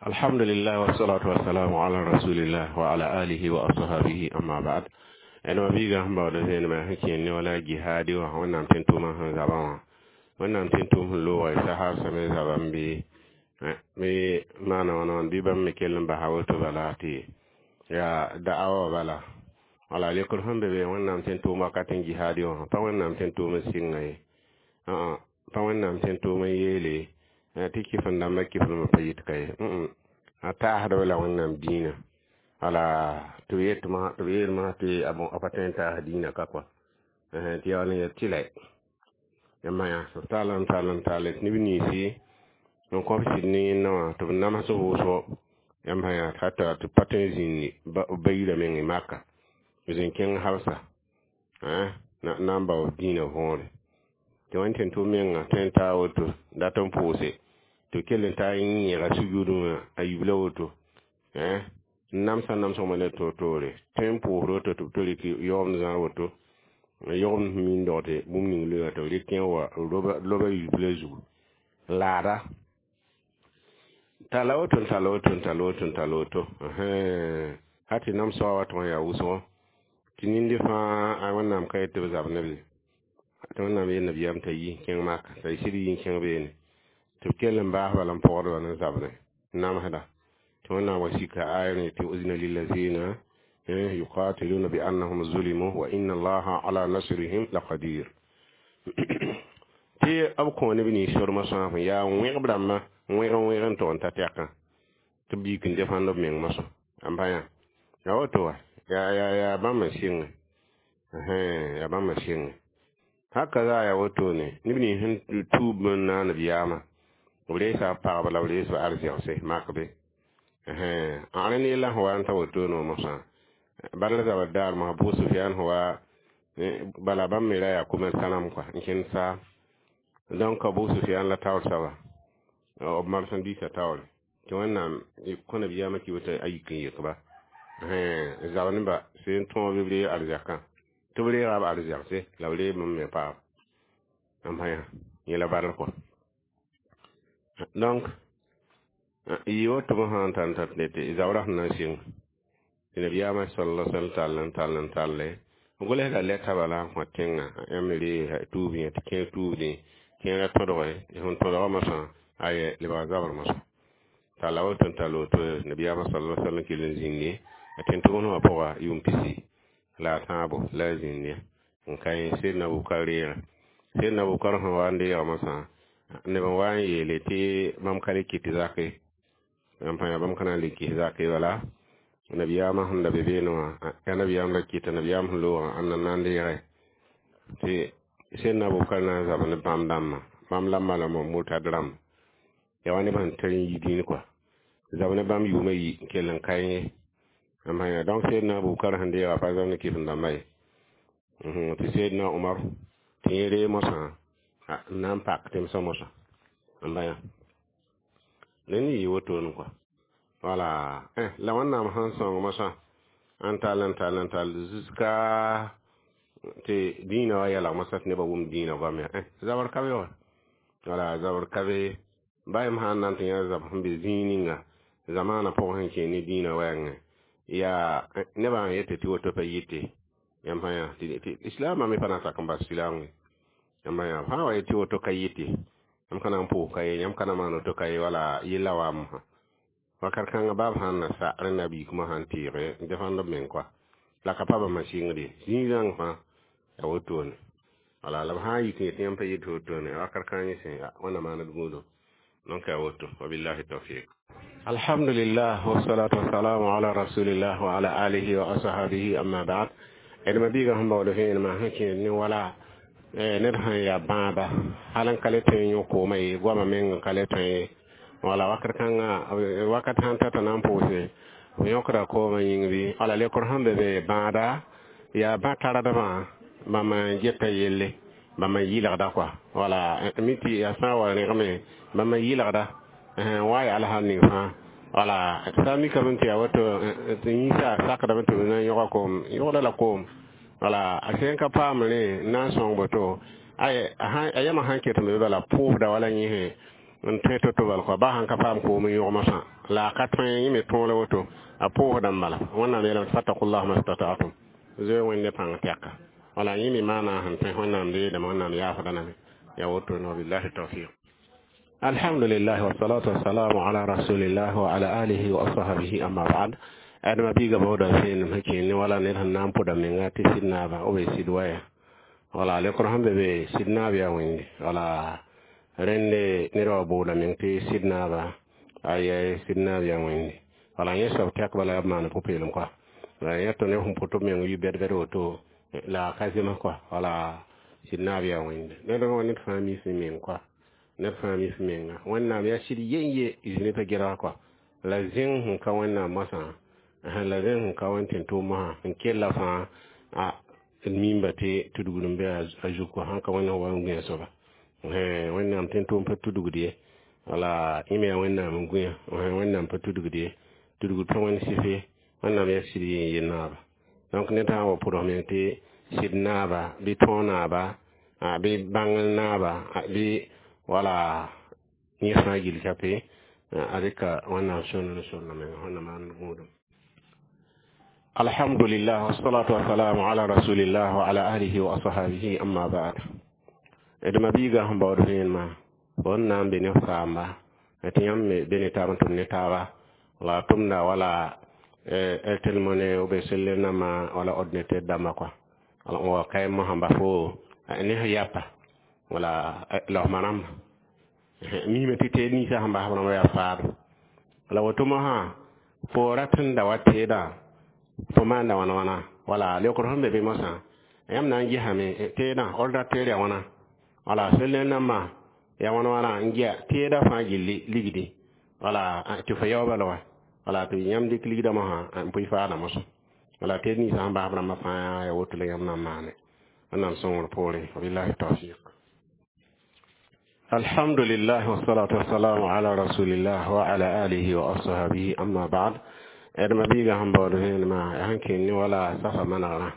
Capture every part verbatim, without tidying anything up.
Alhamdulillah wassalatu wassalamu ala rasulillah wa ala alihi wa ashabihi, amma ba'd. Ẽdma biigã sẽn baood zẽnemã sẽn kẽer ne wala jihaadi wã, Wẽnnaam tẽn-tʋʋmã sẽn zabã wã, Wẽnnaam tẽn-tʋʋm sẽn looga sahab sãmẽ zabã n bɩ bɩ maana wãna wãn bɩ bãmb me kell n basa woto bala tɩ yaa da'awa wã bala. Wala lekr sẽn be be Wẽnnaam tẽn-tʋʋm wakat n jihaadi wã, pa Wẽnnaam tẽn-tʋʋm n sɩnga ye, pa Wẽnnaam tẽn-tʋʋm n yeele tɩ kɩf n dãmbã kɩfdmã pa yit ka ye, a taasdb la Wẽnnaam dĩinã. Wala tɩ b yet tɩ b yeel masã tɩ a pa tõe n taas dĩinã ka kɔa tɩ yaool n yet tɩ la yãmb yã b tall n tall n tall tɩ neb ninsi n kõb sɩd ne yẽnna wã tɩ b nams vʋʋsgo. Yãmb sã yã hata tɩ pa tõe n zĩndi b ba yirã meng Maka, b zĩn kẽng Habsa na n bao dĩinã võore tɩ wẽnd tẽn-tʋʋm menga tõe n taa woto dat n pʋʋse tɩ b kell n taa n yẽga sujudẽ wã a yibla woto n namsã namsgmã ne toor-toore tõe n pʋʋsd woto tɩ b to rɩk yaoomd zãr woto yogem sẽn min dogte bũmb ning loeega tɩ b rɩk n wa loba yibla zugu laada tala woto n tala woto n tala woto n tala woto ha tɩ namsgã wa tʋg n yaa wʋsgo tɩ nindi fãa Wẽnnaam ka yet tɩ b zab ne be tɩ Wẽnnaam yel nabiyaam t'a yi kẽng Maka t'a sɩd yi n kẽng beene tɩ b kell n baas bala n pɔgdba ne zabne namsda tɩ Wẽnnaam wa sika aya ne tɩ uzina lilazina yuqatiluna bi annahum zulimu wa inna Allaha ala nasrihim laqadir tɩ b kõ neb nins sormã sõa sẽn yaa wẽgb rãmbã wẽg n wẽg n tog n ta tɛkã tɩ b yik n defãnd b meng mosã n pa yã yaa woto wa yaa yaa yaa bãmb n sɩngẽ yaa bãmb n sɩngẽ haka za yaa wotone neb nins sẽn tuub n naand b yaamã b reesa b pagba la b rees b arzɛgse mak be rẽnd yella sẽn wa n ta wotone wã mosã Badr zabr daar mosã Abu Sufyan sẽn wa bala bãmb me ra yaa commerçant rãmb kɔa n kẽnd saam. Donc Abu Sufyan la taoor soaba b marchandise taoore tɩ Wẽnnaam kõ nabiyaamã kɩ woto a yik n yek-ba zab nebã sẽn tõog bɩ b reeg arzɛkã tɩ b reega b arzɛgse la b reeg bãmb me paam n pa yã yẽ la Badr kɔa. Donc yɩ woto sã n tar n tar tɩ zabrã sẽn na n sɩng tɩ nabiyaamã sal sallam tall n tall n talle b gʋlsda lɛta bala n kõ tẽngã yãmb me reeg tuub yẽ tɩ kẽer tuubdẽ kẽerã tõdge sẽn tõdga mosã aye lebga zabr mosã talla woto n tall woto nabiyaamã sal sallam kell n zĩndi a tẽn-tʋmd wã pʋga yʋʋm pisi la a tãabo la a zĩnd n ka yẽ Sedna Abubakar reega. Sedna Abubakar sẽn wa n deega mosã neb n wa n yeele tɩ bãmb ka le kɩt zake n pa yã bãmb ka na n le kɩs zake bala nabiyaamã sẽn da be beene wã yaa nabiyaam ra kɩta nabiyaam sẽn loogã ãnda n na n deege tɩ Sedna Abubakar na n zab ne bãmb dãmbã bãmb la malem murtad rãmb yaa wa neb sẽn tar n yi dĩin kɔa zab ne bãmb yʋʋmã yi n kell n ka yẽ n pa yã. Donc Sedna Abubakar sẽn deega pa zab ne kɩf-n dãmbã ye tɩ Sedna Omar tɩ yẽ ree mosã n na n pak tẽmsã mosã n ba yã rẽnd yɩ wotone kɔa. Wala la Wẽnnaam sẽn sõng mosã n tall n tall n tall jusqu'à tɩ dĩinã wa yɛlg mosã tɩ nebã wʋm dĩinã goam ya zabr ka be wa wala zabr ka be ba yem sã n na n tɩ yã zab sẽn be zĩig ninga zamaanã pʋgẽ sẽn kẽer ne dĩinã wɛɛngẽ yaa nebã n yetɩ tɩ woto pa yɩte yãmb sã yã tɩ islaamã me pa na n sak n bas silaam ye yãmb yã fãa wa yetɩ woto ka yɩte yãmb ka na n pʋʋs ka ye yãmb ka na maan woto ka ye wala yella wa mosã wakat kãngã baab sãn na sa rẽnda biigmã sãn teege n defãnd b meng kɔa la ka pa bãmba sɩngd ye zĩig rãng fãa yaa wotone wala la b sã n yik n yetɩ yãmb pa yet wotone wakat kãng yẽ sẽ Wẽnna maand gũudum. Donc yaa woto, wabillahi tawfiq. Alhamdulillah wassalatu wassalamu ala rasulillah wa ala alihi wa ashabihi, amma ba'd. Ẽdma biigã sẽn baood vẽenemã sẽn kẽed ne wala ned sãn yaa bãaba hal n ka le tõe n yõ koomã ye goamã meng n ka le tõe ye wala wakat kãngã wakat sãn ta t'a na n pʋʋse b yõkda koomã yĩng bɩ wala lekr sẽn be be bãada yaa bã-tardbã bãmb n geta yelle bãmb n yɩlgda kɔa wala mi tɩ yaa sã n wa rẽgme bãmb n yɩlgda wa yaa alsal ning fãa wala sã n mikame tɩ yaa woto tɩ yĩnsa sakdame tɩ b na n yõga koom yõgda la koom wala a sẽn ka paam rẽ n na n sõng boto a yãmã sãn ket n be bala pʋʋsda wala yẽsẽ. N tõe to-to bal kɔa ba sãn ka paam koom n yõgmsã la a ka tõe yẽ me tõog la woto a pʋʋsdã n bala. Wẽnnaam yeelame tɩ fattakullah mastata'tum, zoe Wẽnde pãng tɛka. Wala yẽ me maana sẽn tõe Wẽnnaam deedame, Wẽnnaam yaafda lame ya woto. Wabillahi tawfiq. Alhamdulillah, wasalatu wasalamu ala rasulillah wa ala alihi wa ashabihi, amma ba'd. Adama biiga baooda vẽenem sẽn kẽene wala ned sẽn na n pʋda menga tɩ sɩd naaba b sɩd waya. Wala lekr sẽn be be sɩd naab yaa Wẽnde. Wala rẽnde ned wa booda meng tɩ sɩd naaba aya, sɩd naab yaa Wẽnde. Wala yẽ soab tɛk bala yaa b maan pʋ-peelem kɔa. La yẽ tɩ neb sẽn pʋt b meng yɩ bɛd-bɛd woto la a ka zems kɔa. Wala sɩd naab yaa Wẽnde, ned ned fãa mis meng kɔa, ned fãa mis menga. Wẽnnaam yaa sɩd yen ye zĩni pa gɛlg kɔa. La zẽng sẽn ka Wẽnnaam moasã, la zẽng sẽn ka Wẽnd tẽn-tʋʋm mosã n kella fãa a mimba tɩ tudgd n be a zug kɔa. Sãn ka Wẽnd wa n gũya soaba, Wẽnnaam tẽn-tʋʋm pa tudgd ye. Wala yẽ me yaa Wẽnnaam n gũya, Wẽnnaam pa tudgd ye, tudgd pa Wẽnd sɩf ye. Wẽnnaam yaa sɩd yen ye naaba. Donc ned sã n wa pʋdg meng tɩ sɩd naaba bɩ tõog naaba bɩ bãng naaba bɩ wala yẽ fãa gill ka pe a rɩka Wẽnnaam sõn n sõnna menga. Wẽnnaam maan gũudum. Alhamdulillah, wassalatu wassalamu ala rasulillah wa ala alihi wa ashabihi, amma ba'd. D ma-biigã sẽn baood vẽenemã fo n na n be ne f saamba tɩ yãmb me be ne taab n tʋm ne taaba la tʋmda wala Airtel Money ou bien cellulaire nãmbã wala ordinateur dãmbã kɔa wa kaɩ mosã bas fo ne f yapa wala laosmã rãmba mime tɩ teed ninsã sẽn bas b rãmba yaa faado. La woto mosã fo rat n da wa teedã fo maanda wãna wãna. Wala leokr sẽn be be mosã yãmb na n gesame teedã ordinateur yaa wãna wala cellulaire nãmbã yaa wãna wãna n gea teedã fãa gilli ligdi wala tɩ fo yaoobã la wa wala tɩ yãmb dɩk ligdã mosã n pʋɩ faadã mosã. Wala teed ninsã sẽn bas b rãmbã fãa yaa woto la yãmb na n maane. Wẽnnaam sõngr poorẽ. Wabillahi tawfiq. Alhamdulillah, wassalatu wassalamu ala rasulillah wa ala alihi wa ashabihi, amma ba'd. D ma-biigã sẽn baood vẽenemã sẽn kẽnd ne wala safa manegrã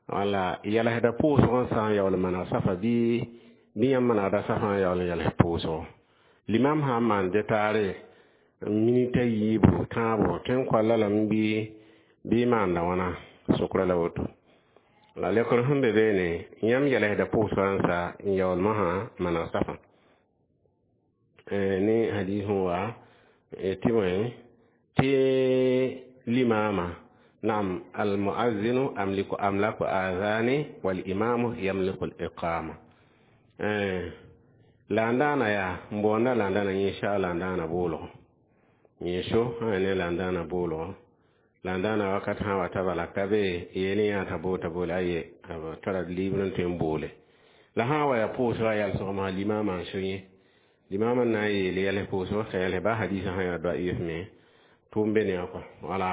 wala yɛlsda pʋʋsg n sã n yaool maneg safa bɩ bɩ yãmb manegda safã n yaool n yɛls pʋʋsgo. Limam sã n maan detaare minita yiibu tãabo tõe n koalla lame bɩ bɩ maanda wãna sʋkrã la woto. La lekr sẽn be beene yãmb yɛlsda pʋʋsgã n sa n yaool mosã maneg safã ne hadis sẽn wa tɩ bõe tɩ limama naam almuazinu amliku amlaku azani walimamu yamliku liqama. La n daana yaa n boonda la n daana yẽ la n daana boolgo yẽ so sã ne la n daana boolgo la n daana wakat sã wa ta bala ka be yeel yã t'a boota boole aye b tara libr n tõe n boole. La sã n wa yaa pʋʋsgã yalsg mosã limama n so yẽ limama n na n yeel yɛls pʋʋsg ka yɛls ba hadisã sã yaa daif me tʋʋm be ne kɔa. Wala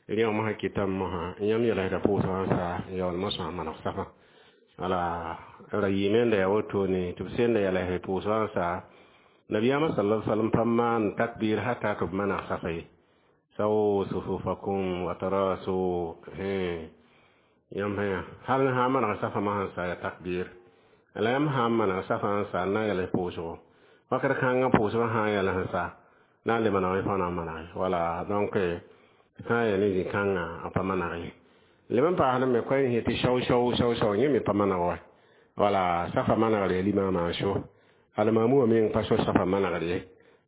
rẽ wã mosã kɩtame mosã yãmb yɛlsda pʋʋsgã n sa n yaool mosã maneg safã. Wala ra yɩɩme n da yaa wotone tɩ b senda yɛls pʋʋsgã n sa nabiyaamã sala sallam pa maan takbir hata tɩ b maneg safa ye sawu sufufakum wa tarasu yãmb sã hal sã n maneg safa mosã n sa ya takbir. La yãmb sã n maneg safã n sa n na n yɛls pʋʋsgo wakati kãngã pʋʋsgã sã n yɛls n sa na n le maneg fãa na n manege. Wala donc sã n yaa ne zĩ-kãngã a pa maneg ye. Leb n paasd me koɛɛn sẽ tɩ shao shao shao shao yẽ me pa maneg wa. Wala safa manegr ya limaamã n so almaamu wã meng pa so safa manegr ye,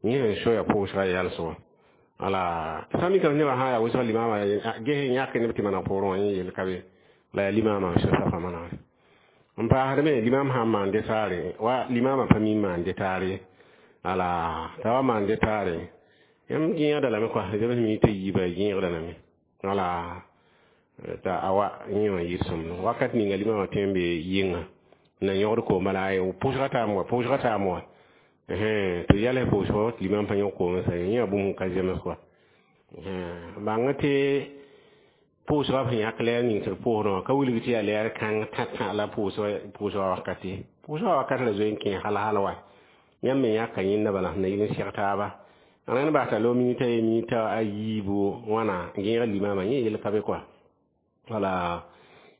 yẽ sẽn so yaa pʋʋsgã yɛlsgo. Wala sã mikame nebã sã n yaa wʋsg limaamã ges n yãk neb tɩ maneg poorẽ wã yẽ yel ka be la yaa limaamã n so safa manegre. N paasd me limaam sã n maan detaare wa limaamã pa mi n maan detaar ye. Wala t'a wa maan detaare yãmb gẽegda lame kɔa zems minita yiibã gẽegda lame. Wala t'a a wa yẽ wã yɩ sõmd wakat ninga limaamã tõe n be yɩnga na yõgd koom bala pʋʋsga taam wa pʋʋsga taam wa tɩ yɛls pʋʋsgo tɩ limam pa yõk koom sa yẽ yaa bũmb ka zems kɔa. Bãng tɩ pʋʋsgã sẽn yãk lɛɛr ning tɩ d pʋʋsdã wã ka wilg tɩ yaa lɛɛr kãng tã-tã la pʋʋsgã wakat ye. Pʋʋsgã wakat la zoe n kẽ hal hal wa yãmb me yãka yẽnda bala sẽn na yɩl n seg taaba rẽnd bas t'a lo minita ye minita a yiibu wãna gẽeg limamã yẽ yel ka be kɔa. Wala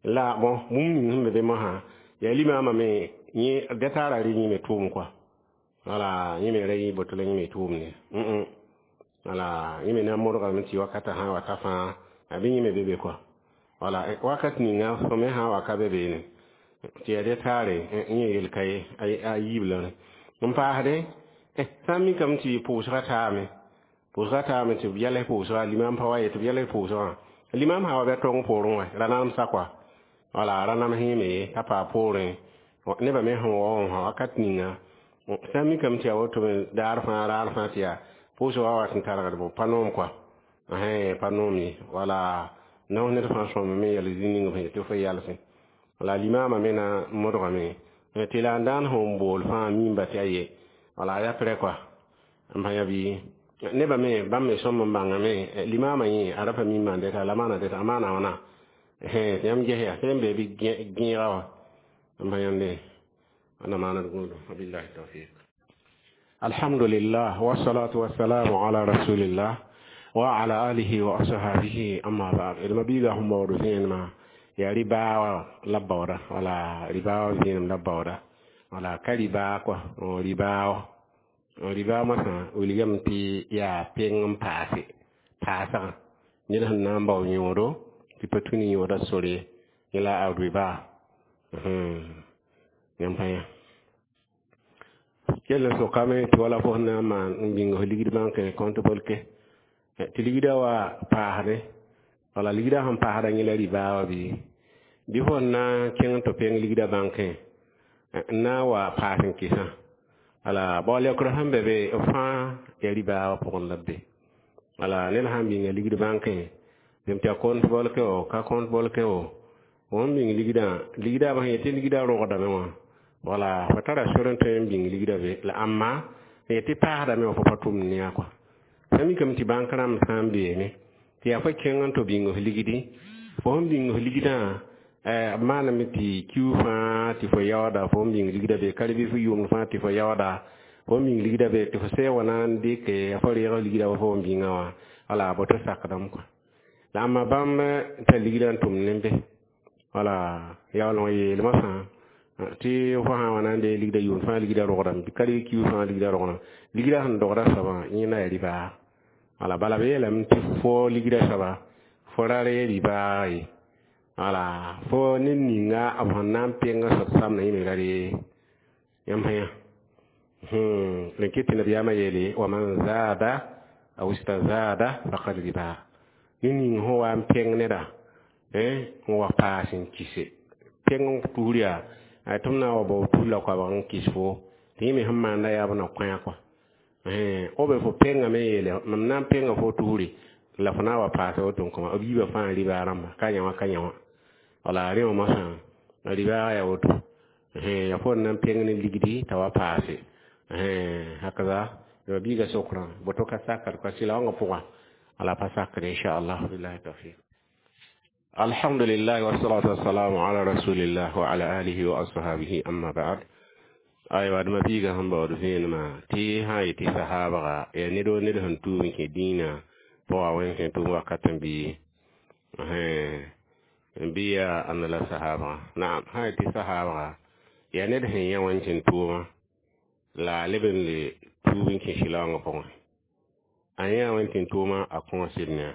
la bon bũmb ning sẽn be be mosã yaa limaamã me yẽ detaarã rɩ yẽ me tʋʋm kɔa. Wala yẽ me ra yɩ boto la yẽ me tʋʋmde wala yẽ me na n modgame tɩ wakatã sã n wa ta fãa a bɩ yẽ me be be kɔa. Wala wakat ninga fo me sã n wa ka be beene tɩ yaa dẽ taare yẽ yel ka ye a yiib la n paasde sã n mikame tɩ pʋʋsgã taame pʋʋsgã taame tɩ b yals pʋʋsga limam pa wa ye tɩ b yals pʋʋsgã limam sã wa bɩ a tong poorẽ wã ra namsa kɔa wala ra nams yẽme ye t'a paa poorẽ nebã me sẽn wa wã wakat ninga sã n mikame tɩ yaa woto me daar fãa raar fãa tɩ yaa pʋʋsgã wa wat n targd bõ pa noom kɔa pa noom ye wala naos ned fãa sõm me yɛl zĩ ning f tɩ fo yalsẽ la limama me na n modgame tɩ la n daan sẽn bool fãa mimba tɩ a ye wala a ya prɛ kɔa n pa yã bɩ nebã me bãmb me sõm n bãngame limama yẽ a ra pa mi n maan dɛta la maana dɛta a maana wãna tɩ yãmb ges yaa sẽn be bɩ gẽega wã n pa yãmbe ana maanad gũudum wabillahi tawfiq. Alhamdulillah wassalatu wassalamu ala rasulillah wa ala alihi wa ashabihi amma ba'd. Ilma biiga sẽn baood vẽenemã yaa ribaa la baooda wala ribaa vẽenem la baooda wala ka ribaa kɔa ribaa ribaa moasã wilgame tɩ yaa peng n paase paasgã ned sẽn na n bao yõodo tɩ pa tũ ne yõoda sore yẽ la a ribaa yãmb pa yã kell n sokame tɩ wala fo sẽn na n maan n bĩng f ligd bãnkẽ compte bolke tɩ ligdã wa paasdẽ wala ligdã sẽn paasda yẽ la ribaa wã bɩ bɩ fo n na n kẽng tɩ peng ligdã bãnkẽ n na n wa paas n kɩsã wala baool yɔkrã sẽn be be b fãa yaa ribaa wã pʋgẽ la b be wala ned sãn bĩnga ligd bãnkẽ bem tɩ yaa compte bolke o ka compte bolke o fo n bĩng ligdã ligdã b sẽn yetɩ ligdã rogdame wã wala fo tara sor n tõe n bĩng ligdã be la ãmma sẽn yetɩ paasdame wã fo pa tʋmd ne a kɔa sã mikame tɩ bãnk rãmb sã n beene tɩ yaa fo kẽng n tɩ bĩng f ligdi fo sẽn bĩng f ligdã b maaname tɩ kiu fãa tɩ fo yaooda fo n bĩng ligdã be ka bɩ fo yʋʋmd fãa tɩ fo yaooda fo n bĩng ligdã be tɩ fo sɛ wa na n dɩke fo reeg ligdã wa fo n bĩngã wã wala boto sakdame kɔa la ãmba bãmb tar ligdã n tʋmd ne be wala yaool n yeel moasã tɩ fo sã n wa na n dee ligdã yʋʋmd fãa ligdã rogdame bɩ ka rɩ kiu fãa ligdã rogdame ligdã sẽn dogda soabã yẽ na yaa ribaa wala bala b yeelame tɩ fo ligdã soaba fo ra ree ribaa ye wala fo ned ninga b sẽn na n peng soab samdã yẽ me ra ree yãmb sã yã rẽn kɩ tɩ nabiyaamã yeele wa man zaada aw istazada faqad riba ned ning sẽn wa n peng neda n wa paas n kɩse peng n tusr yaa tɩ m na n wa bao tus la koabg n kɩs fo tɩ yẽ me sẽn maanda yaa b na kõ kɔa b fo pengame yeele mam na n penga fo tusre la fo na n wa paasa woto n kõma b yiibã fãa ribaa rãmba ka yã wã ka yã wã wala rẽ wã moasã ribaa yaa woto yaa fo n na n peng ne ligdi t'a wa paase hakaza ya biiga sokrã boto ka sakr kɔa sɩla wãngã pʋgã wala pa sakr inchallah billahi tawfiq. Alhamdulillah wassalatu wassalamu ala rasulillah wa ala alihi wa ashabihi amma ba'd. Aywa dma biiga sẽn baood vẽenemã tɩ sã n yetɩ sahaabga yaa ned o ned sẽn tuum n kẽ dĩinã pʋga wẽn kẽ tʋʋm wakat n bɩ n bɩ yaa ãnna la sahaabga naam sã n yetɩ sahaabga yaa ned sẽn yã wẽn tɩ tʋʋmã la a leb n le tuub n kẽ sɩlaoongã pʋgẽ a yã wẽn tɩ tʋʋmã a kõosd ne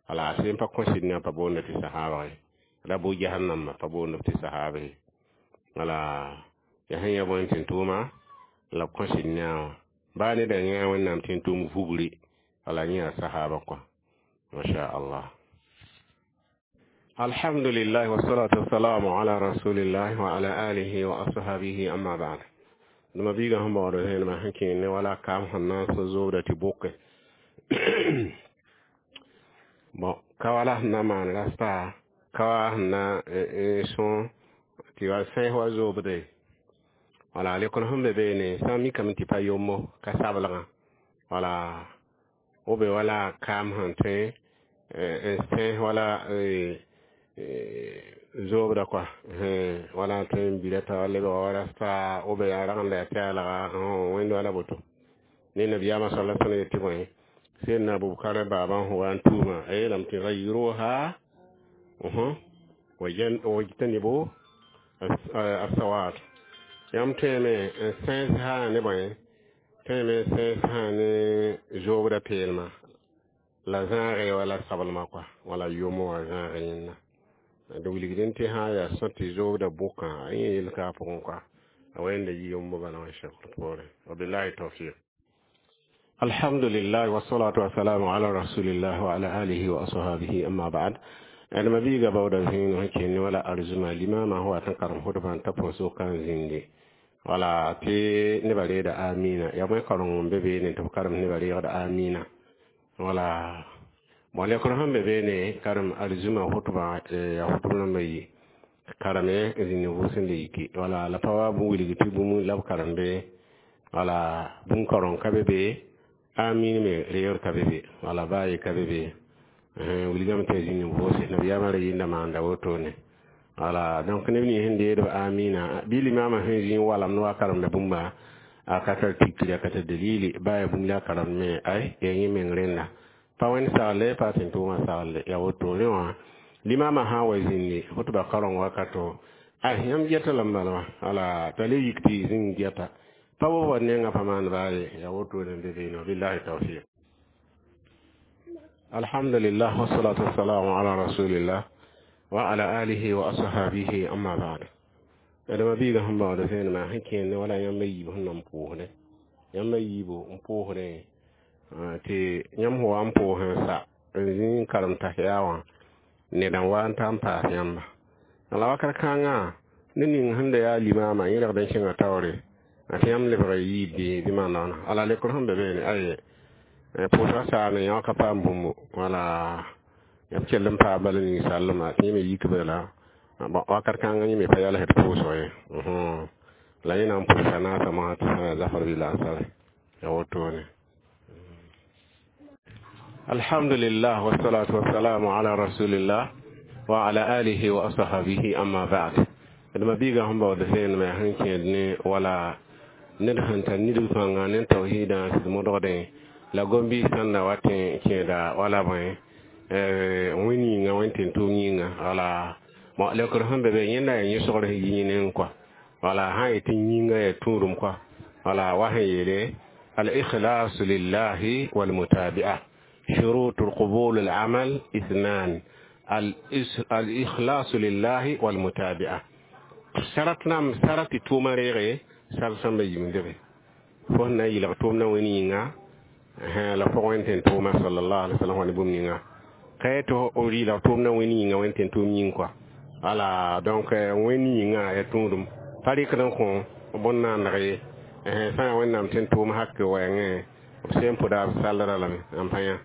wala a sẽn pa kõsd ne a pa boonda tɩ sahaabg ye ra bʋ jahannamã pa boond tɩ sahaab ye wala yaa sẽn yã bõe tɩ tʋʋma la b kõsd ne a wã baa neda yã wẽnnaam tɩ tʋʋm vugri wala yẽ yaa sahaaba kɔa masha allah. Alhamdulillah wassalatu wassalamu ala rasulillah wa ala alihi wa ashabihi amma ba'd. Dũma biigã sẽn baood vẽenemã sẽn kẽer ne wala kaam sẽn na n sõ zoobda tɩ boke bon ka wala sẽn na n maan rasta ka wa sẽn na n sõ tɩ wa sẽs wa zoobde wala lekr sẽn be beene sã n mikame tɩ pa yombo ka sablgã wala b be wala kaam sẽn tõe n sẽs wala zoobda kɔa wala tõe n bira t'a lebga wa rasta b be yaa rag n la yaa pɛɛlga wẽnd wala boto ne nabiyaamã sala sallam yetɩ bõe sẽn na Abubakar baabã sẽn wa n tuumã a yeelame tɩ gayiruha wajtanibu asawad yãmb tõeme n sẽs sã ne bõe Tõe me sẽn sã ne zoobda peelmã la zãage wala sablmã kɔa wala yʋmo wã zãag yẽnda d wilgdẽ tɩ sã n yaa sõ tɩ zoobda bʋkã yẽ yel ka a pʋgẽ kɔa a wẽnda yi yombo bala wã sɛkr poorẽ. Wabillahi tawfiq. Alhamdulillah, wassalatu wassalamu ala rasulillah wa ala alihi wa ashabihi, amma ba'd. D mabiiga baooda zĩig sẽn kende wala arzũma limama sẽn wat n karem hʋtbã n ta põsg kan zĩndi wala tɩ nebã reeda amina yaa bõe kareng n be beene tɩ b karem nebã reegda amina wala bon lekr sẽn be beene karem arzũma hʋtbã yaa hʋtb rãmbã yi karame zĩnd vʋʋs n le yiki wala la pa wa wilg tɩ bũmb la b karem be wala bũmb kaoreng ka be be amin me reegr ka be be wala baa ye ka be be wilgame tɩ zĩnd vʋʋse nabiyaamã ra yĩnda maanda wotone wala. Donc neb nins sẽn deedb amina bɩ limamã sẽn zĩ walam ne wa karemda bũmba a ka tar tikri a ka tar dalili baa ya bũmb la a karemd me ay yaa yẽ meng rẽnda pa wẽnd sagle pa tẽn tʋʋmã sagle yaa woto rẽ wã limamã sã n wa zĩndi hʋtba kaoreng wakato ay yãmb geta lame bala wã wala t'a le yik tɩ zĩng geta pa wa wa nengã pa maan baa ye yaa wotone n be beene. Wabillahi tawfiq. Alhamdulillah, wassalatu wassalamu ala rasulillah wa ala alihi wa ashabihi, amma ba'd. Adama biiga sẽn baood vẽenemã sẽn kẽend wala yãmb a yiib sẽn nan pʋʋsdẽ yãmb a yiibo n pʋʋsdẽ tɩ yãmb sẽn wa n pʋʋs n sa n zĩ n karem tahiya wã ned n wa n ta n paas yãmba la wakat kãngã ned ning sẽn da yaa limama yẽ ragd n kẽnga taoore tɩ yãmb lebg yiibde bɩ maana wãna ala lekr sẽn be beene aye pʋʋsga saane yã ka paam bũmbu wala yãmb kell n paam bala ninsaalmã tɩ yẽ me yik bala bon wakat kãngã yẽ me pa yalsd pʋʋsg ye la yẽ na n pʋʋsa naasã mosã tɩ sã yaa zafr bɩ laasare ya wotone. Alhamdulillah, wassalatu wassalamu ala rasulillah wa ala alihi wa ashabihi, amma ba'd. D mabiiga sẽn baood vẽenemã sẽn kẽed ne wala ned sẽn tar nidg pãnga ne tawhiidã sɩd modgdẽ la gom-biis sẽn na wa tẽ kẽeda wala bõe wẽn yĩnga wẽn tẽn-tʋʋm yĩnga wala bon lekr sẽn be be yẽnda yaa yẽsgr sẽn yi yẽne kɔa wala sã n yetɩ yĩnga yaa tũudum kɔa wala wa sẽn yeele al-ikhlasu lillahi walmutabi'a. شروط القبول العمل اثنان: الإخلاص لله والمتابعة. شرط نام شرط توما ريغي شرط سamba yimdebe fo na yɩlg tʋʋm na wẽn yĩnga la fo wẽn tẽn tʋʋma sallallahu alaihi wasallam wã ne bũmb ninga ka yetɩ rɩɩlg tʋʋm na wẽn yĩnga wẽn tẽn tʋʋm yĩng kɔa wala. Donc wẽn yĩnga ya tũudum pa rɩkd n kõ bõn-naandg ye sã n yaa Wẽnnaam tẽn tʋʋm hak wɛɛngẽ b sẽn pʋda b sallra lame n pa yã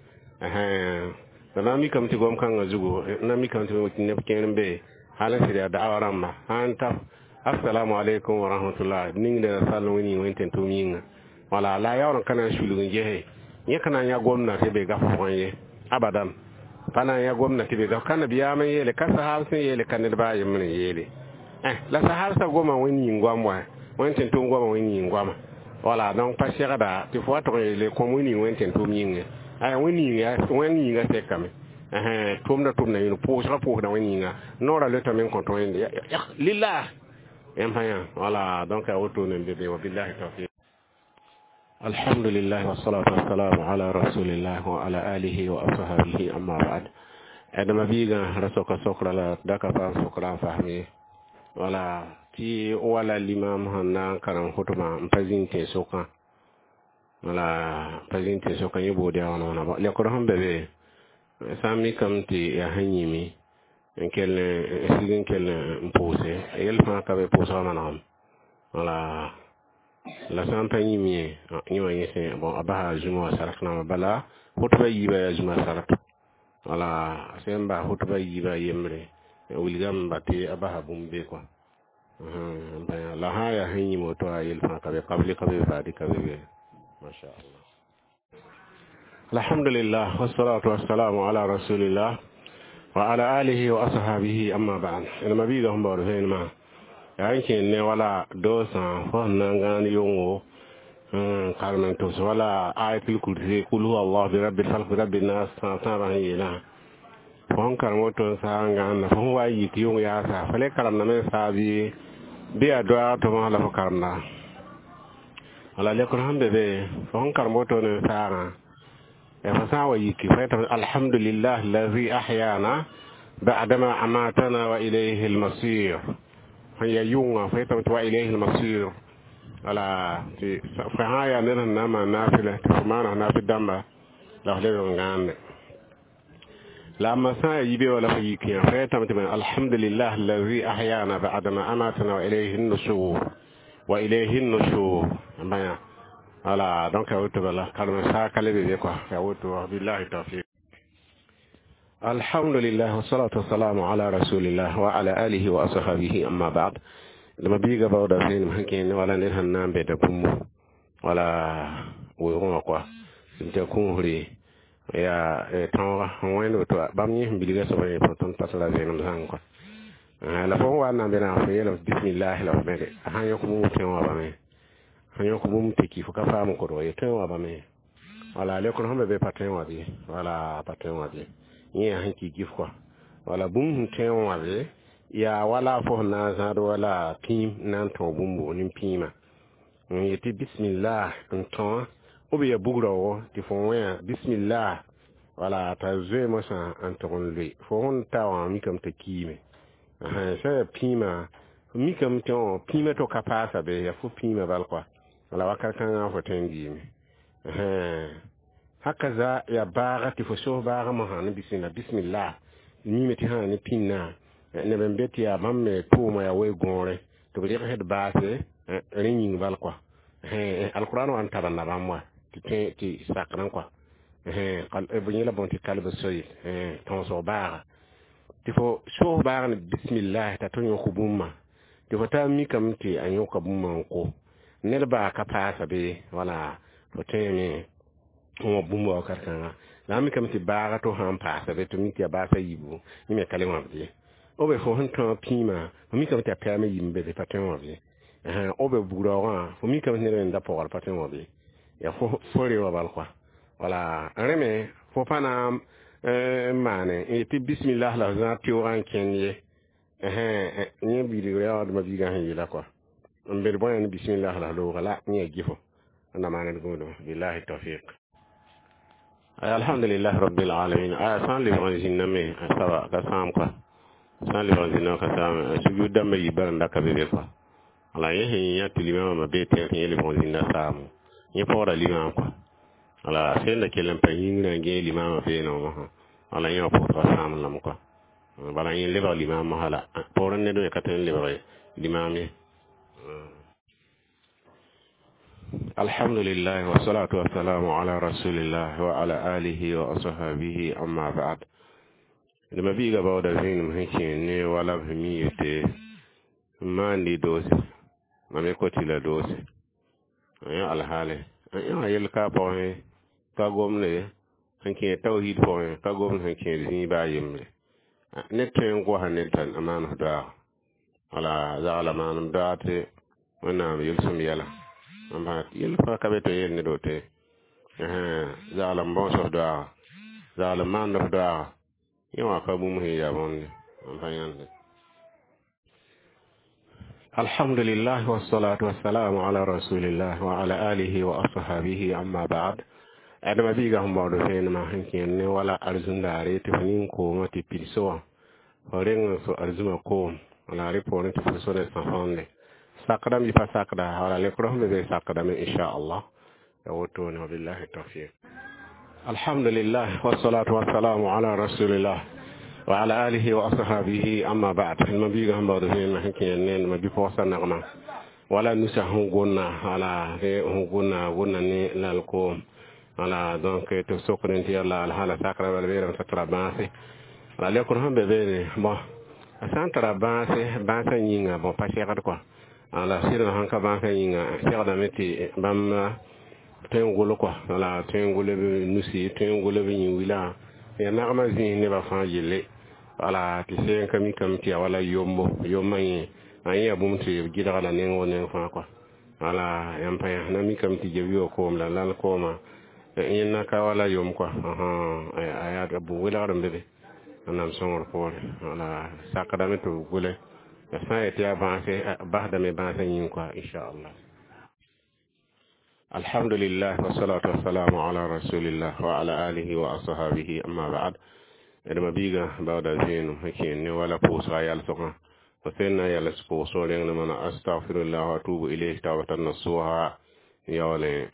la na mikame tɩ gom-kãngã zugu na mikame tɩ neb kẽer n be hal n sɩd yaa da'awa rãmba sã n ta assalamu alaikum wa rahmatullah ningda sall wẽn yĩng wẽn tẽn tʋʋm yĩnga wala la yaool n ka na n sulg n gese yẽ ka na n yã gomdã tɩ be gaf pʋgẽ ye abadan pa na n yã gomdã tɩ be gaf ka nabiyaam n yeele ka sahab sẽn yeele ka ned baa yembr n yeele la sahabsã goma wẽn yĩng goam wa wẽn tẽn tʋʋm goama wẽn yĩng goama wala. Donc pa segda tɩ fo wa tʋg n yeele kõm wẽn yĩng wẽn tẽn tʋʋm yĩnge ay wẽn yĩnga wẽn yĩnga sekame tʋʋmda tʋmda yĩng pʋʋsga pʋʋsda wẽn yĩnga noorã lotame n kõ tɩ wẽnde lillah yãmb pa yã wala. Donc a wotone n be be. Wabillahi tawfiq. Alhamdulillah, wassalatu wassalamu ala rasulillah wa ala alihi wa ashabihi, amma ba'd. Adama biiga ra soka sokra la daka paam sokra n fasme wala tɩ wala limam sẽn na n karem hʋtbã n pa zĩnd tẽn-sokã wala pa zĩnd tẽn-sokã yẽ bood yaa wãna wãna lekr sẽn be be sã n mikame tɩ yaa sẽn yĩme n kell n sig n kell n pʋʋse yɛl fãa ka be pʋʋsgã manegem wala la sã n pa yĩm ye yẽ wã yẽ sẽ bon a basa zũma wã sarat namba bala hʋtbã yiibã yaa zũma sarat wala sẽn bas hʋtbã yiibã yembre wilgame ba tɩ a basa bũmb be kɔa la sã n yaa sẽn yĩm woto a yel fãa ka be kabli ka be baadi ka be be masha Allah. Alhamdulillah, wassalatu wassalamu ala rasulillah wa ala alihi wa ashabihi, amma ba'd. Ina mabiga sẽn baood vẽenemã yaa n kẽend ne wala doosã fo sẽn na n gãan yʋngo n karem n tʋs wala ayatul kursi kul huwa allah bi rabbil falq bi rabbin nas tãab tãabã sẽn yeelã fo sẽn karem woto n saa n gãanda fo sẽn wa n yik yʋng yaasa fo le karemdame n saa bɩ bɩ yaa doaag tʋmsã la fo karemda. Wala lekr sẽn be be fo sẽn karem woto ne saagã fo sã n wa yiki fo yetame alhamdulillah allazi ahyana ba'dama amatana wa ilayhi almasir sẽn ya yʋngã fo yetame tɩ wa ilayhi almasir wala tɩ fo sã n yaa ned sẽn na n maan naafɩlɛ tɩ fo maana naafɩl dãmba la f leb n gãande la amma sã n ya yibe wala fo yik yã fo yetame tɩ alhamdulillah allazi ahyana ba'dama amatana wa ilayhi nushur wa ilayhi nushur bãya wala donc ya woto bala karme saakale be be quoi ya woto billahi tawfiq alhamdulillah wassalatu wassalamu ala rasulillah wa ala alihi wa ashabihi amma ba'd lama biiga bawda fẽenem sẽn kẽ ne wala ned sẽn na n bẽda bũmbu wala weoogẽ wã koa tɩ kũusre yaa tõoga n wẽnd woto bãmb yẽ sẽn bilga soaba yẽ tõnd pa la vẽenem zãng koa la fo sẽn wa n na n be na fo yeelame bismillah la fo bẽde a sãn yõk bũmb tõe wã bame sãn yõk bũmb tɩ ki fo ka faam n kodg ye tõe wã bame wala lekr sẽn be be pa tõe wã bɩ wala pa tõe wã bɩ yẽ yaa sẽn ki gif koa wala bũmb sẽn tõe wã be yaa wala fo sẽn na n zãad wala pĩim n na n tõog bũmbu nin pĩimã n yetɩ bismillah n tõa b ya bugraoogo tɩ fo wẽa bismillah wala t'a zoe mosã n tʋg n loe fo sẽn ta wã mikame t'a kiime sã ya pĩimã mikame tɩ pĩimã to ka paasa be yaa fo pĩimã bal koa wala wakat kãngã fo tõe n gɩɩme hakaza ya baaga tɩ fo sos baagã mosã ne bismillah bismillah mime tɩ sã ne pĩnnã neb n be tɩ yaa bãmb me tʋʋma yaa we-gõore tɩ b rɩgsd baase rẽ yĩng bal koa alquran wa n tab n na bãmb wa tɩ tõe tɩ sakrẽ koa b yẽla bõn tɩ kalb soyl tõosg baaga tɩ fo sos baag ne bismillah t'a tɩ yõk bũmba tɩ fo taa mikame tɩ a yõka bũmba n ko ned baa ka paasa be wala fo tõeme n wã bũmba wakat kãnga la a mikame tɩ baaga to sã n paasa be tɩ mi tɩ yaa baasa yiibu yẽ me ka le wãbd ye b fo sẽn tõog pĩimã fo mikame tɩ a pɛɛm yim be be pa tõe n wãb ye b bugraoogã fo mikame tɩ ned wẽnda pɔgr pa tõe n wãb ye yaa fo fo rewa bal koa wala rẽ me fo pa na n maane n yetɩ bismillah la f zãad teoogã n kẽnd ye yẽ bilg yaa dẽma biigã sẽn yeela koa n bed bõe ne bismillah la f looga la yẽ yaa gɩfo na maaned gũudum billahi tawfiq alhamdulillah rabbil alamin aya sã n lebg n zĩnname a saba ka sãam koa sã n lebg n zĩnname ka sãam sujud dãmbã yib bara n da ka be be koa wala yẽ sẽn yã tɩ limamã bee tẽeg tɩ yẽ lebg n zĩnda saamo yẽ paoora limam koa wala sẽn da kell n pa yĩngrã n gẽeg limamã beene wã wala yẽ wã pʋʋsga sãam lame koa bala yẽ lebg limam mosã la poorẽ ned me ka tõe n lebg limam ye alhamdulillah wassalatu wassalamu ala rasulillah wa ala alihi wa ashabihi amma ba'd dama biiga bawda vẽenem sẽn kẽ ne wala b mi yete n maandi doose mam ye kotɩ la doose yã alhaale yã yel ka pʋgẽ ka gomde sẽn kẽ tawhid pʋgẽ ka gomd sẽn kẽed zĩig baa yembre ned tõe n goasa ned t'a maan f doaaga wala zagla maanem doaag tɩ wẽnnaam yel-sõm yɛla n bãag yel fãa ka be tɩ yel ned woto ye zagl n bõos f doaaga zagl n maand f doaaga yẽ wã ka bũmb sẽn yaa bõnde n pa yãnde alhamdulillah wassalatu wassalamu ala rasulillah wa ala alihi wa ashabihi amma ba'd adama biiga sẽn baood vẽenemã sẽn kẽer ne wala arzũndaare tɩ fo nin-koomã tɩ pids wã fo reng n so arzũmã koom wala rẽ poorẽ tɩ fo so ne sã-fãnde sakdame yɩ pa sakda wala lekr sẽn be be sakdame inchallah ya wotone wabillahi tawfiq alhamdulillah wassalatu wassalamu ala rasulillah wa ala alihi wa ashabihi amma ba'd ma biiga sẽn baood vẽenemã sẽn kẽer ne ma bi-pɔgsa nagma wala nusa sẽn gʋnna wala sẽn gʋnna gʋnna ne lal-koom wala donc tɩ sokd tɩ yalla alhaala sakra bala beelame t'a tara bãase wala lekr sẽn be beene bon a sã n tara bãase bãasã yĩnga bon pa segd kɔa ala sɩdg sãn ka bãasã yĩnga segdame tɩ bãmb tõe n gʋl kɔa wala tõe n gʋl b nusi tõe n gʋl b yĩn-wilã yaa nagmã zĩis nebã fãa yelle wala tɩ seen ka mikame tɩ yaa wala yombo yombã yẽ a yẽ yaa bũmb tɩ b gɩdga la neng wo neng fãa kɔa wala yãmb pa yã na mikame tɩ geb yo koom la lal koomã yẽnna ka wala yom kɔa a yaa bũ welgr n be be wẽnnaam sõngr poore wala sakdame tɩ b gʋle la sã n yetɩ yaa bãase basdame bãasã yĩng kɔa inchallah الحمد لله والصلاة والسلام على رسول الله وعلى آله وأصحابه أما بعد d mabiiga baooda vẽenem sẽn kẽer ne wala pʋʋsga yalsgã fo sẽn na yals pʋʋsg reng ne mana أستغفر الله وأتوب إليه توبة نصوحا yaoole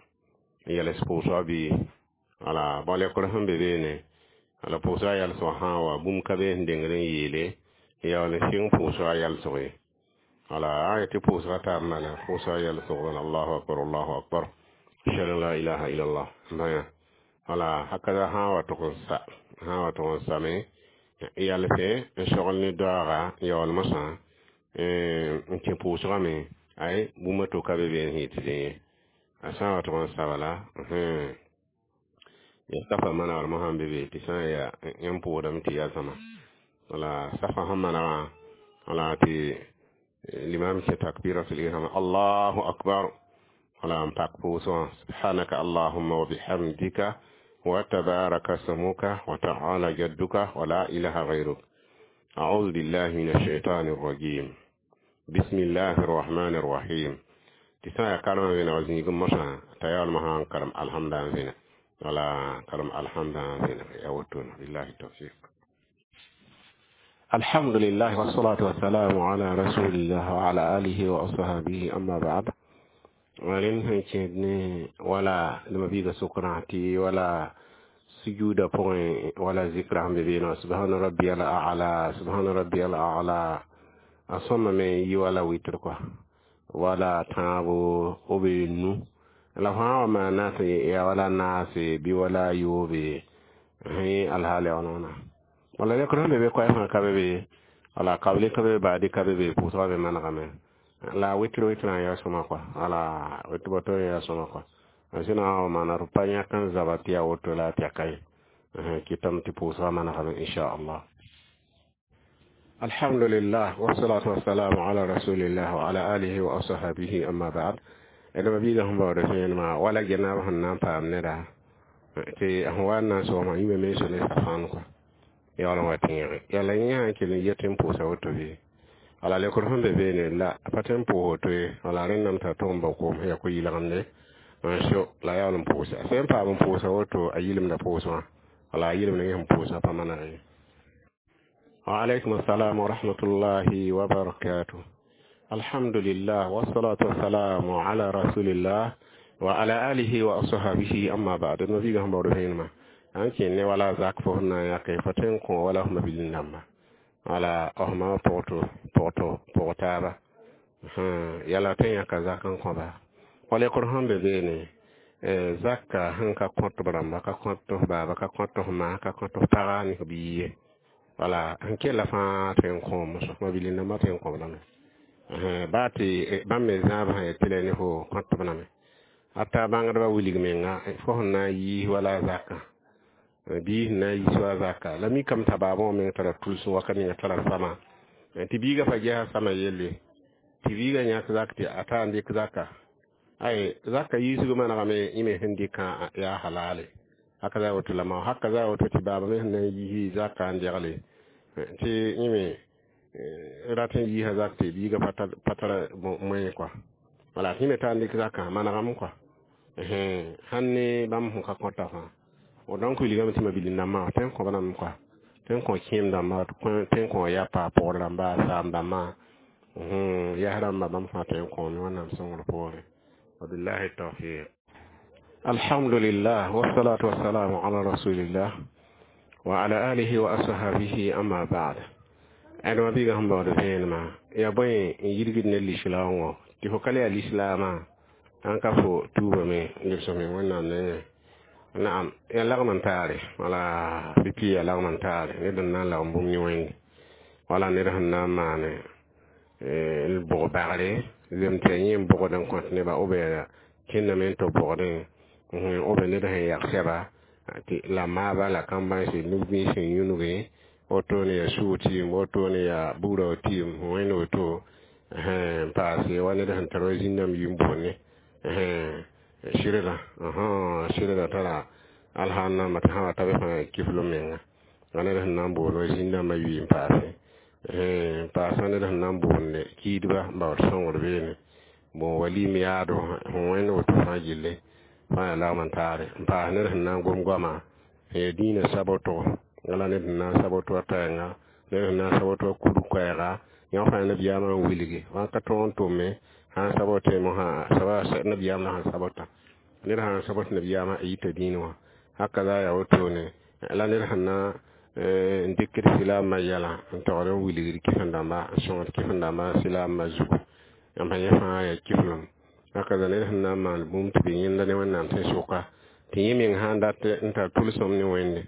yals pʋʋsga bɩ wala bal yakr sẽn be beene la pʋʋsga yalsg sã n wa bũmb ka be sẽn dengd n yeele yaool n sɩng pʋʋsga yalsg ye wala a yetɩ pʋʋsga taab mala pʋʋsga yalsg الله أكبر الله أكبر أشهد أن لا إله إلا الله bãya wala hakaza sã n wa tʋg n sa sã n wa tʋg n same yalse n sogl ne doaaga yaool mosã n kẽ pʋʋsgame ay bũmb a to ka be been sẽn yetɩ dẽ ye a sã n wa tʋg n sa bala ya safa manegr mosã n be be tɩ sã n yaa yãmb pʋʋsdame tɩ yaa zãma wala safa sẽn manegã wala tɩ limam kẽ تكبيرة الإحرام الله أكبر wala n pak pʋʋsgã سبحانك اللهم وبحمدك وتبارك اسمك وتعالى جدك ولا إله غيرك أعوذ بالله من الشيطان الرجيم بسم الله الرحمن الرحيم tɩ sã n yaa karemã vẽneg zĩig mosã t'a yaool mosã n karem alhamda n vẽneg wala karem alhamda n vẽneg ya woto بالله التوفيق الحمد لله والصلاة والسلام على رسول الله وعلى آله وأصحابه أما بعد rẽnd sẽn kẽed ne wala d mabiiga sokrã tɩ wala sujuuda pʋgẽ wala zikra sẽn be beene سبحان ربي الأعلى سبحان ربي الأعلى a sõmame n yi wala witr kɔa wala tãabo b nu la fãa wa maana tɩ ya wala naase bɩ wala yoobe sẽ alhaal ya wãna wala yõkr sẽn be be koɛɛg fãa ka be be wala kabli ka be baadi ka be be pʋʋsgã be manegame la witr witrã yaa sõma kɔa wala witr bato yaa sõma kɔa sẽna wa maana d pa yãk n zaba tɩ yaa woto la tɩ ya ka ye kɩtame tɩ pʋʋsgã manegame inchallah الحمد لله والصلاة والسلام على رسول الله وعلى آله وأصحابه أما بعد d mabiiga sẽn baood vẽenemã wala genaab sẽn na n paam neda tɩ sẽn wa n na n sogsmã yĩma me so ne safãan kɔa yaool n wa tẽege yala yẽ sã n kell n yet n pʋʋsa woto bɩ wala lekr sẽn be beene la a pa tõe n pʋʋs woto ye wala rẽndame t'a tʋg n bao koom sẽn ya ko-yɩlgemde n so la yaool n pʋʋsa sẽn paam n pʋʋsa woto a yɩlemda pʋʋs wã wala a yɩlemd yẽ sẽn pʋʋsã pa maneg ye وعليكم السلام ورحمة الله وبركاته الحمد لله والصلاة والسلام على رسول الله وعلى آله وأصحابه أما بعد نبي هم بورهين an kẽ ne wala zak fo na yake fo tõe n kõ wala f mabilin dãmba wala f ma pʋgto pʋgto pʋg taaba yala tõe n yãka zak n kõba wala yakr sẽn be beene zaka sẽn ka kõt b rãmba ka kõt f baaba ka kõt f ma ka kõt f paga ne f bii ye wala sẽn kella fãa tõe n kõ moso mabilin dãmba tõe n kõb lame baa tɩ bãmb me zãab sã tɩ la ne fo kõt b lame hatta bãngdbã wilg menga fo sẽn na n yiis wala zakã bii sẽn na n yiis wa zaka la mikame t'a baabã wã meng tara tʋlsem wakat ninga tara sama tɩ biigã fa gesa sama yelle tɩ biigã yãk zak tɩ a taa n dɩk zaka ay zaka yiisg manegame yẽ me sẽn dɩkã yaa halale haka za woto la ma haka za woto tɩ baaba me sẽn na n yiisi zaka n degle tɩ yẽ me rat n yiisa zak tɩ biigã pa tara moẽ kɔa wala tɩ yẽ me taa n dɩk zakã manegame kɔa sãn ne bãmb sẽn ka kõta fãa donc wilgame tɩ mabilin dãmbã tõe n kõb lame kɔa tõe n kõ kẽem dãmba tõe n kõ yapa pʋgd rãmba saam dãmbã yas rãmba bãmb fãa tõe n kõome wẽnnaam sõngr poorẽ وبالله التوفيق الحمد لله والصلاة والسلام على رسول الله وعلى آله وأصحابه أما بعد d mabiiga sẽn baood vẽenemã yaa bõe n yirgd ne lislaam wã tɩ fo ka le yaa lislaamã sãn ka fo tuubame lebsme wẽnnaam nengẽ naam yaa lagm n taare wala pipi yaa lagm n taare ned n na n lagm bũmb yẽ wẽnde wala ned sẽn na n maane l bʋg bagre zem tɩ yaa yẽ n bʋgd n kõt neba b kẽndame n tɩ bʋgdẽ b ned sẽn yag sɛba tɩ la maaba la kambãnse nug-bĩis sẽn yũnuge wotone yaa sʋʋg tɩɩm wotone yaa bugrã tɩɩm wẽnd woto n paase wa ned sẽn tar wa zĩnnãmb yim boonne sɩrda sɩrda tara alhãn tɩ sã wa ta be fãa kifl menga wa ned sẽn na n boond wa zĩn-dãmbã yʋɩ n paase n paasa ned sẽn na n boonde kiidba n baood sõngr beene Bon, walim yaado sẽn wẽnd woto fãa gilli fãa yaa lagm n taare n paas ned sẽn na n gom goama n yaa dĩinã saboto wala ned sẽn na n sabot wa tɛɛnga, ned sẽn na n sabot wa kurg koɛɛga yõ fãa nabiyaamã n wilgi wãn ka tõog n tʋme sã n sabote mosã nabiyaam la sẽn sabota ned sã n sabot nabiyaamã a yita dĩinã wã haka za yaa wotone la ned sẽn na n dɩkd silaamã yɛlã n togd n wilgd kɩsem-dãmba n sõngd kɩsem-dãmbã silaamã zugu yãmb sẽn yẽ fãa yaa kiflem haka za ned sẽn na n maan bũmb tɩ be yẽnda ne Wẽnnaam tẽn-sʋka tɩ yẽ meng sã n dat n tar tʋlsem ne Wẽnde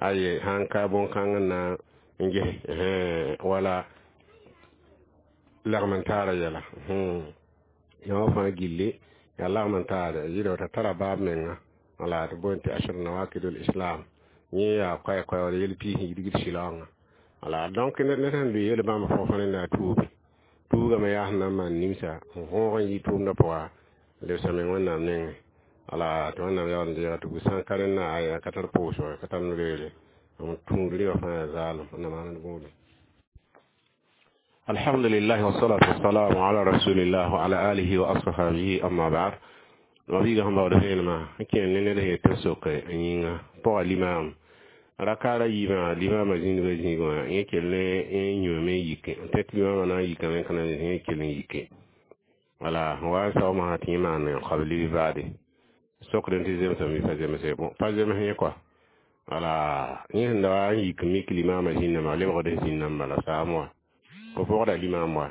aye sãn ka bõn-kãng n na n ges wala lagm n taara yɛla yã wã fãa gilli yaa lagm n taare yɩɩda t'a tara baab menga wala tɩ boond tɩ ashru nawakidul islam yẽ yaa koɛ-koɛ wala yel piis n yidgd silaoongã wala. Donc ned sẽn lʋɩ yel bãmb fõfõ rẽnda a tuubi tuugame yaa sẽn na n maan nimsa n võog n yɩ tʋʋmdã pʋga lebsa meng Wẽnnaam nengẽ wala tɩ Wẽnnaam yaool n deega tɩ gu sã n ka rẽnna aya ka tar pʋʋsg ka tar no-reere n tũud rɩba fãa yaa zaalem na maan d võode. الحمد لله والصلاة والسلام على رسول الله وعلى آله وأصحابه أما بعد mabiiga sẽn baood vẽenemã n kẽer ne ned sẽn yet tɩ sok n yĩnga pʋga limam rakaara yiibã limaamã zĩndga zĩig wã yẽ kell ne n yũame n yike n tɩ limaamã na n yikame ka na yẽ kell n yike wala wa n sao masã tɩ yẽ maan qabli bɩ baade sokd tɩ zemsame bɩ pa zemse bon pa zems yẽ kɔa wala yẽ sẽn da wa n yik mik limaamã zĩnnã lebgd zĩnnã n bala saam wa fo pʋgda limaam wa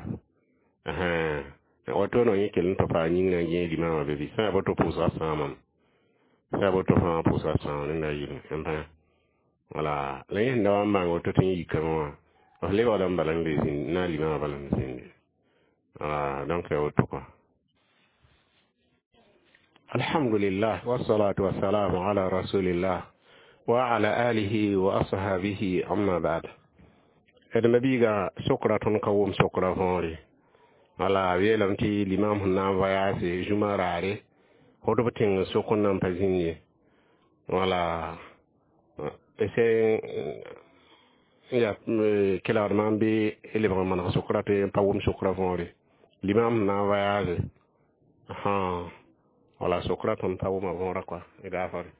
woto no yẽ kell n tɩ paa yĩngrã n gẽeg limaamã be bɩ sã yaa boto pʋʋsga sãamame sã yaa boto fãa pʋʋsga sãam rẽnda yɩlẽ n pã wala la yẽ sẽn da wa n maang woto tɩ yẽ yikame wã f lebgda n bala n le zĩnd na limaamã bala n zĩndi wala donc yaa woto kɔa. الحمد لله والصلاة والسلام على رسول الله وعلى آله وأصحابه أما بعد d mabiiga sokra tõnd ka wʋm sokra võore wala yeelame tɩ limam sẽn na n voyage zũma raare fot b tẽng sok n na n pa zĩnd ye wala sẽn ya kelgd maam bɩ lebg n maneg sokra tɩ n pa wʋm sokra võore limam sẽn na n voyage wala sokra tõnd pa wʋma võora kɔa gaafare.